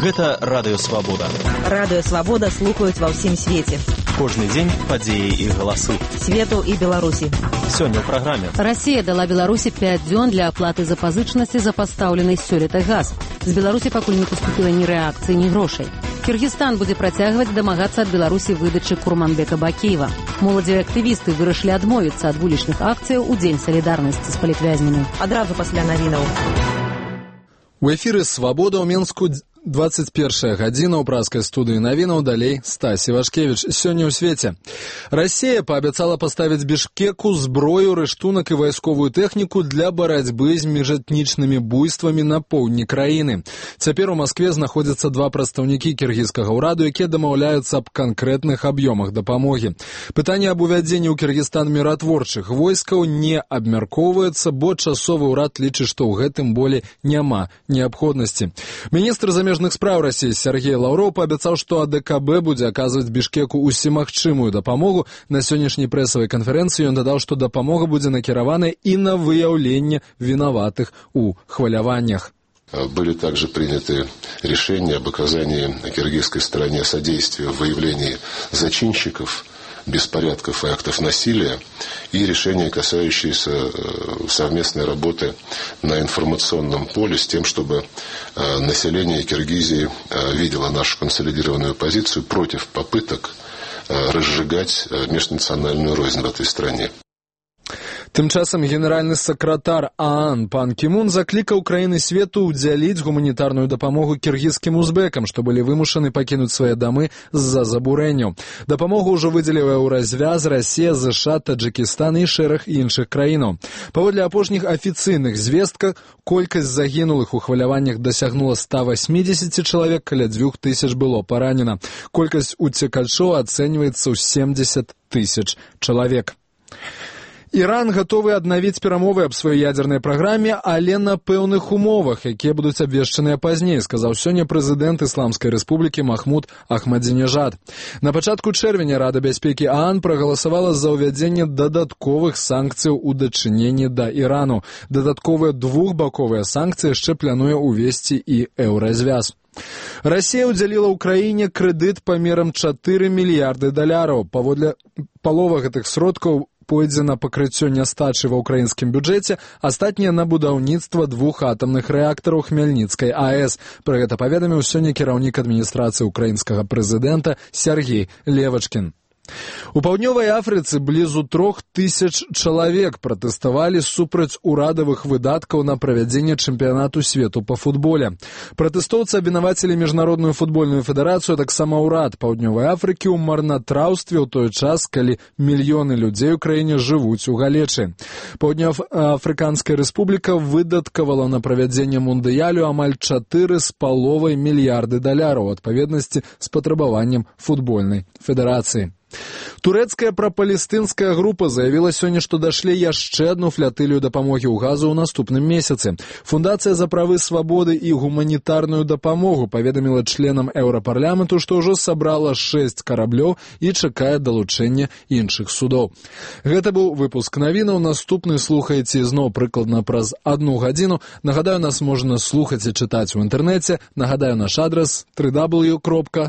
Гэта Радыё Свабода. Радыё Свабода слухаюць ва ўсім свеце. Кожны дзень падзеі і галасы. Свету і Беларусі. Сёння ў праграме. Расія дала Беларусі 5 дзён для аплаты запазычнасці за пастаўлены сёлета газ. З Беларусі пакуль не паступіла ні рэакцыі, ні грошай. Кыргызстан будзе працягваць дамагацца ад Беларусі выдачы Курманбека Бакеева. Моладзевыя актывісты вырашылі адмовіцца ад вулічных акцыяў у Дзень салідарнасці з палітвязнямі. Адразу пасля навінаў. У эфіры «Свабода» ў Менску 21 гадзіна ў праскай студыі навінаў, далей Стасі Вашкевіч. Сёння ў свеце. Расія паабяцала паставіць Бішкеку зброю, рыштунак і вайсковую тэхніку для барацьбы з міжэтнічнымі буйствамі на поўдні краіны. Цяпер у Маскве знаходзяцца два прадстаўнікі кіргізскага ўраду, якія дамаўляюцца аб канкрэтных аб'ёмах дапамогі. Пытанне аб увядзенні ў Кіргізстан міратворчых войскаў не абмяркоўваецца, бо часовы ўрад лічыць, што ў гэтым болей няма неабходнасці. Міністр замежных справ Расіі Сергей Лаўроў паабяцаў, што АДКБ будзе аказваць Бішкеку усімагчымую дапамогу. На сённяшняй прэсавай канферэнцыі ён дадаў, што дапамога будзе накіраваная і на выяўленне вінаватых у хваляваннях. Были также приняты решения об оказании киргизской стороне содействия в выявлении зачинщиков беспорядков и актов насилия, и решения, касающиеся совместной работы на информационном поле с тем, чтобы население Киргизии видело нашу консолидированную позицию против попыток разжигать межнациональную рознь в этой стране. Тым часам генеральны сакратар ААН пан Кімун заклікаў краіны свету ўдзяліць гуманітарную дапамогу кіргізскім узбекам, што былі вымушаны пакінуць свае дамы з-за забурэнняў. Дапамогу ўжо выдзеліла Еўразвяз, Расія, ЗША, Таджикістан і шэраг іншых краінаў. Паводле апошніх афіцыйных звестках, колькасць загінулых у хваляваннях дасягнула 180 чалавек, каля 2000 было паранена. Колькасць уцекачоў ацэньваецца ў 70 000 чалавек. Іран гатовы аднавіць перамовы аб сваёй ядзернай праграме, але на пэўных умовах, якія будуць абвешчаныя пазней, сказаў сёння прэзідэнт Ісламскай рэспублікі Махмуд Ахмадзінежад. На пачатку чэрвеня Рада бяспекі ААН прагаласавала за ўвядзенне дадатковых санкцыяў у дачыненні да Ірану. Дадатковыя двухбаковыя санкцыі яшчэ плануе ўвесці і Еўразвяз. Расія ўдзяліла ўкраіне крэдыт памерам $4 мільярды. Паводле палова гэтых сродкаў пойдзе на пакрыццё нястачы ва ўкраінскім бюджэце, астатняе на будаўніцтва 2 атамных рэактараў Хмельніцкай АЭС. Пра гэта паведаміў сёння кіраўнік адміністрацыі ўкраінскага прэзідэнта Сергей Левачкін. У паўднёвай Афрыцы блізу 3000 чалавек пратэставалі супраць урадавых выдаткаў на правядзенне чэмпіянату свету па футболе. Пратэстоўцы абвінавацілі міжнародную футбольную федэрацыю, таксама ўрад паўднёвай Афрыкі ў марнатраўстве ў той час, калі мільёны людзей у краіне жывуць у галечы. Паўднёва-афрыканская рэспубліка выдаткавала на правядзенне мундыялю амаль $4,5 мільярды, у адпаведнасці з патрабаваннем футбольнай федэрацыі. Турэцкая прапалестынская група заявіла сёння, што дашле яшчэ адну флятылію дапамогі ў газу ў наступным месяцы. Фундацыя за правы свабоды і гуманітарную дапамогу паведаміла членам Еўрапарламенту, што ўжо сабрала 6 караблёў і чакае далучэння іншых судоў. Гэта быў выпуск навінаў. Наступны слухаеце зноў прыкладна праз 1 гадзіну. Нагадаю, нас можна слухаць і чытаць у інтэрнэце. Нагадаю, наш адрас www.swaboda.org.